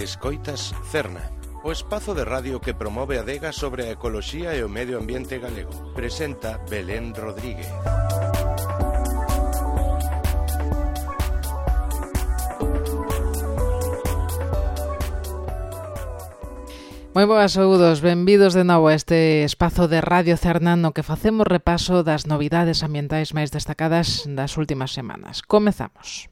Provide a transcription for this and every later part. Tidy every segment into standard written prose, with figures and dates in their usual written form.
Escoitas Cerna, o espazo de radio que promove adegas sobre a ecoloxía e o medio ambiente galego. Presenta Belén Rodríguez. Moi boas saúdos, benvidos de novo a este espazo de Radio Cerna no que facemos repaso das novidades ambientais máis destacadas das últimas semanas. Comezamos.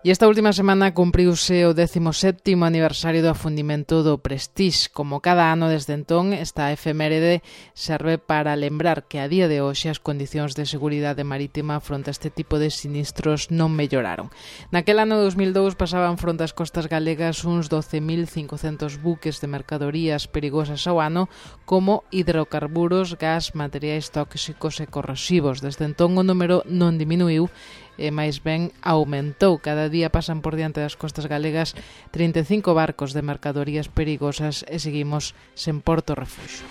E esta última semana cumpriuse o 17º aniversario do afundimento do Prestige. Como cada ano desde entón, esta efeméride serve para lembrar que a día de hoxe as condicións de seguridade marítima fronte a este tipo de sinistros non melloraron. Naquel ano 2002 pasaban fronte ás costas galegas uns 12.500 buques de mercadorías perigosas ao ano, como hidrocarburos, gas, materiais tóxicos e corrosivos. Desde entón o número non diminuiu, e máis ben aumentou. Cada día pasan por diante das costas galegas 35 barcos de mercadorías perigosas e seguimos sen porto refuxio.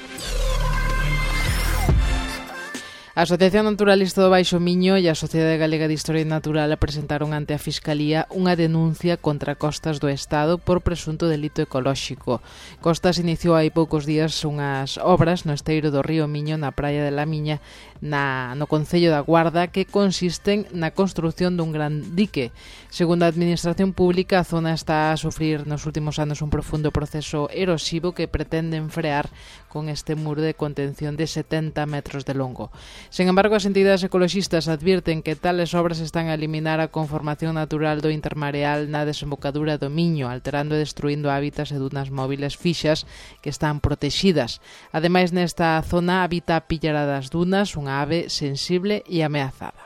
A Asociación Naturalista do Baixo Miño e a Sociedade Galega de Historia Natural presentaron ante a Fiscalía unha denuncia contra Costas do Estado por presunto delito ecolóxico. Costas iniciou hai poucos días unhas obras no esteiro do río Miño na praia de La Miña, no concello da Guarda, que consisten na construción dun gran dique. Segundo a Administración Pública, a zona está a sufrir nos últimos anos un profundo proceso erosivo que pretenden frear con este muro de contención de 70 metros de longo. Sen embargo, as entidades ecoloxistas advirten que tales obras están a eliminar a conformación natural do intermareal na desembocadura do Miño, alterando e destruindo hábitats e dunas móviles fixas que están protexidas. Ademais, nesta zona habita a pillara das dunas, unha ave sensible e ameazada.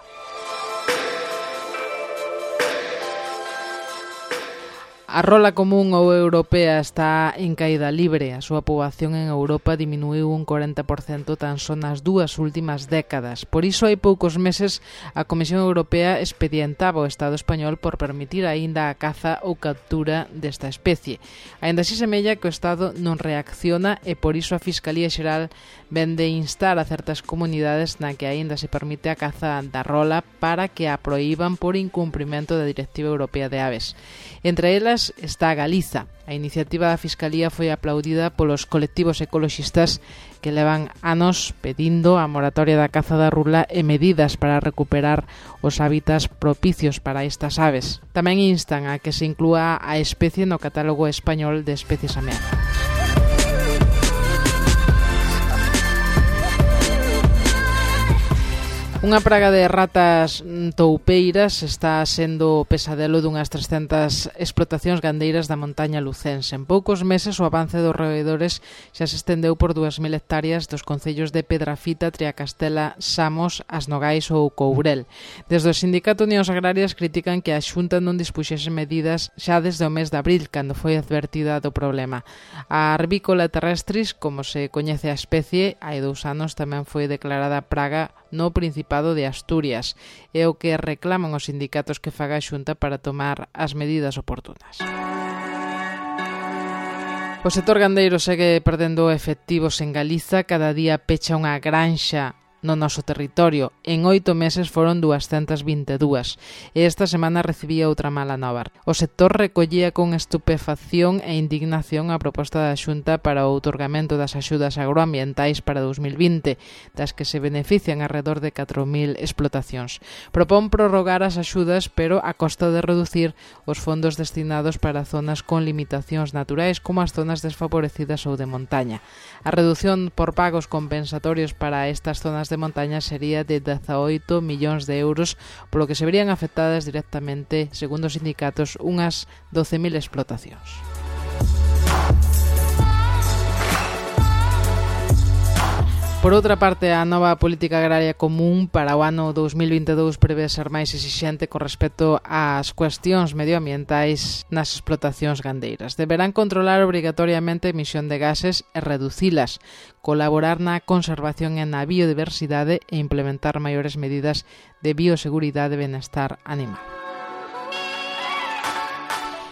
A rola común ou europea está en caída libre. A súa poboación en Europa diminuiu un 40% tan só nas dúas últimas décadas. Por iso, hai poucos meses, a Comisión Europea expedientaba o Estado español por permitir aínda a caza ou captura desta especie. Aínda así semella que o Estado non reacciona e por iso a Fiscalía Xeral vén de instar a certas comunidades na que aínda se permite a caza da rola para que a proíban por incumprimento da Directiva Europea de Aves. Entre elas está Galiza. A iniciativa da Fiscalía foi aplaudida polos colectivos ecoloxistas que levan anos pedindo a moratoria da caza da rula e medidas para recuperar os hábitats propicios para estas aves. Tamén instan a que se inclúa a especie no catálogo español de especies ameazadas. Unha praga de ratas toupeiras está sendo o pesadelo dunhas 300 explotacións gandeiras da montaña lucense. En poucos meses o avance dos roedores xa se estendeu por 2.000 hectáreas dos concellos de Pedrafita, Triacastela, Samos, As Nogais ou Courel. Desde o Sindicato Unións Agrarias critican que a Xunta non dispuxese medidas xa desde o mes de abril, cando foi advertida do problema. A Arvícola terrestris, como se coñece a especie, hai 2 anos tamén foi declarada praga no Principado de Asturias, é o que reclaman os sindicatos que faga a Xunta para tomar as medidas oportunas. O sector gandeiro segue perdendo efectivos en Galiza, cada día pecha unha granxa no noso territorio. En 8 meses foron 222 e esta semana recibía outra mala nova. O sector recollía con estupefacción e indignación a proposta da Xunta para o outorgamento das axudas agroambientais para 2020, das que se benefician alrededor de 4.000 explotacións. Propón prorrogar as axudas, pero a costa de reducir os fondos destinados para zonas con limitacións naturais como as zonas desfavorecidas ou de montaña. A reducción por pagos compensatorios para estas zonas de montaña sería de 18 millóns de euros, polo que se verían afectadas directamente, segundo os sindicatos, unhas 12.000 explotacións. Por outra parte, a nova política agraria común para o ano 2022 prevé ser máis exixente con respecto ás cuestións medioambientais nas explotacións gandeiras. Deberán controlar obrigatoriamente a emisión de gases e reducilas, colaborar na conservación e na biodiversidade e implementar maiores medidas de bioseguridade e benestar animal.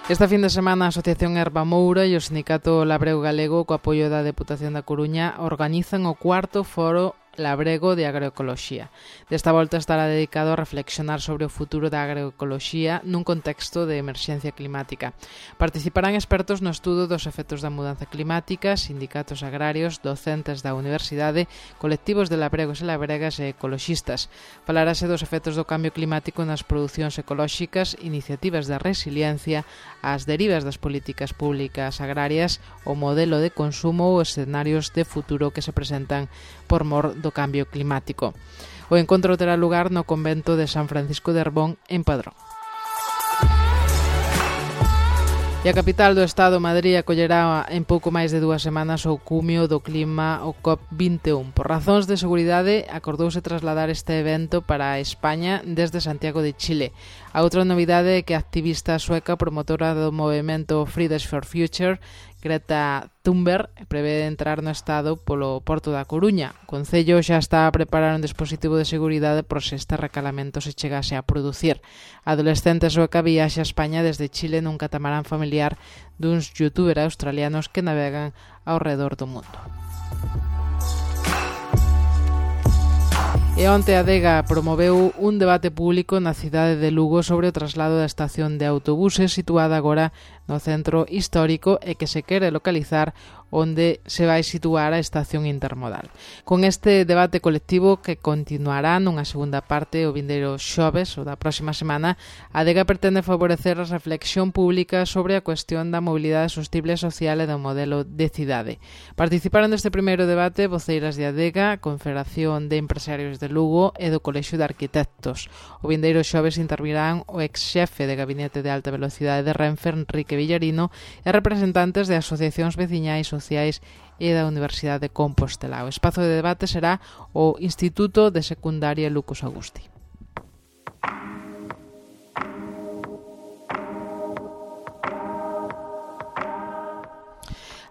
Esta fin de semana a Asociación Herba Moura e o Sindicato Labrego Galego, co apoio da Deputación da Coruña, organizan o 4º Foro labrego de agroecoloxía. Desta volta estará dedicado a reflexionar sobre o futuro da agroecoloxía nun contexto de emerxencia climática. Participarán expertos no estudo dos efectos da mudanza climática, sindicatos agrarios, docentes da universidade, colectivos de labregos e labregas e ecoloxistas. Falarase dos efectos do cambio climático nas producións ecolóxicas, iniciativas de resiliencia, as derivas das políticas públicas agrarias, o modelo de consumo ou escenarios de futuro que se presentan por mor do cambio climático. O encontro terá lugar no convento de San Francisco de Arbón, en Padrón. E a capital do Estado, Madrid, acollerá en pouco máis de 2 semanas o cumio do clima, o COP21. Por razóns de seguridade, acordouse trasladar este evento para España desde Santiago de Chile. A outra novidade é que a activista sueca promotora do movemento Fridays for Future, Greta Thunberg, prevé entrar no Estado polo Porto da Coruña. O Concello xa está a preparar un dispositivo de seguridade por se este recalamento se chegase a producir. A adolescente sueca viaxa a España desde Chile nun catamarán familiar duns youtubers australianos que navegan ao redor do mundo. E onte a Adega promoveu un debate público na cidade de Lugo sobre o traslado da estación de autobuses situada agora no centro histórico e que se quere localizar onde se vai situar a estación intermodal. Con este debate colectivo que continuará nunha segunda parte o vindeiro xoves ou da próxima semana, a Adega pretende favorecer a reflexión pública sobre a cuestión da mobilidade sostible social e do modelo de cidade. Participaron deste primeiro debate voceiras de Adega, Confederación de Empresarios de Lugo e do Colexio de Arquitectos. O vindeiro xoves intervirán o ex-xefe de Gabinete de Alta Velocidade de Renfe, Enrique Villarino, e representantes de asociacións veciñais, sociais e da Universidade de Compostela. O espazo de debate será o Instituto de Secundaria Lucas Agusti.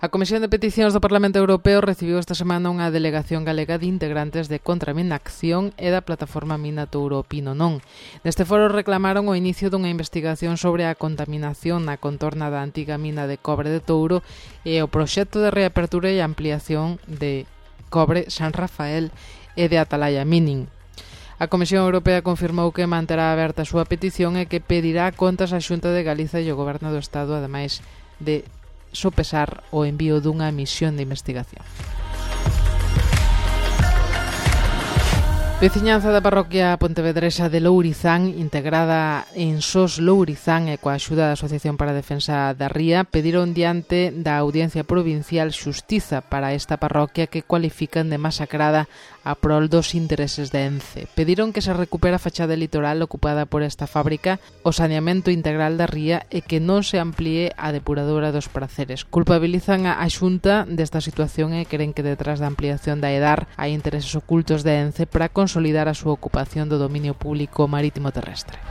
A Comisión de Peticións do Parlamento Europeo recibiu esta semana unha delegación galega de integrantes de Contraminacción e da plataforma Mina Touro Pino Non. Neste foro reclamaron o inicio dunha investigación sobre a contaminación na contorna da antiga mina de cobre de Touro e o proxecto de reapertura e ampliación de Cobre San Rafael e de Atalaya Mining. A Comisión Europea confirmou que manterá aberta a súa petición e que pedirá contas á Xunta de Galiza e ao Goberno do Estado, ademais de sopesar o envío dunha misión de investigación. Veciñanza da parroquia pontevedresa de Lourizán, integrada en SOS Lourizán e coa axuda da Asociación para a Defensa da Ría, pediron diante da Audiencia Provincial xustiza para esta parroquia que cualifican de masacrada a prol dos intereses de Ence. Pediron que se recupera a fachada litoral ocupada por esta fábrica, o saneamento integral da ría e que non se amplíe a depuradora dos Praceres. Culpabilizan a Xunta desta situación e creen que detrás da ampliación da EDAR hai intereses ocultos de Ence para consolidar a súa ocupación do dominio público marítimo terrestre.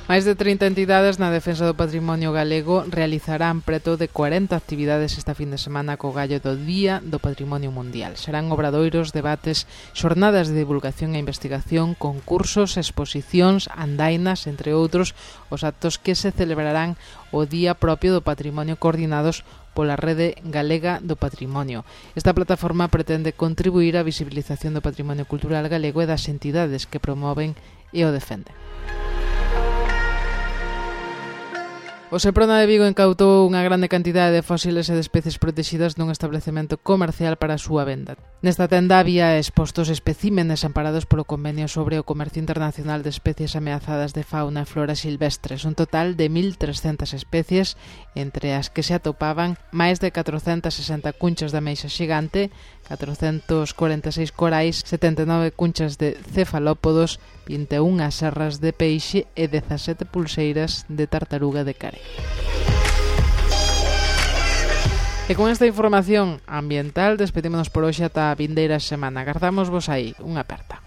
Máis de 30 entidades na defensa do patrimonio galego realizarán preto de 40 actividades esta fin de semana co gallo do Día do Patrimonio Mundial. Serán obradoiros, debates, xornadas de divulgación e investigación, concursos, exposicións, andainas, entre outros, os actos que se celebrarán o Día propio do Patrimonio coordinados pola Rede Galega do Patrimonio. Esta plataforma pretende contribuir á visibilización do patrimonio cultural galego e das entidades que promoven e o defenden. O Seprona de Vigo incautou unha grande cantidade de fósiles e de especies protegidas nun establecemento comercial para a súa venda. Nesta tenda había expostos especímenes amparados polo Convenio sobre o Comercio Internacional de Especies Ameazadas de Fauna e Flora Silvestres, un total de 1.300 especies, entre as que se atopaban máis de 460 cunchas de ameixa xigante, 446 corais, 79 cunchas de cefalópodos, 21 serras de peixe e 17 pulseiras de tartaruga de care. E con esta información ambiental despedímonos por hoxe ata a vindeira semana. Agardamos vos aí. Unha aperta.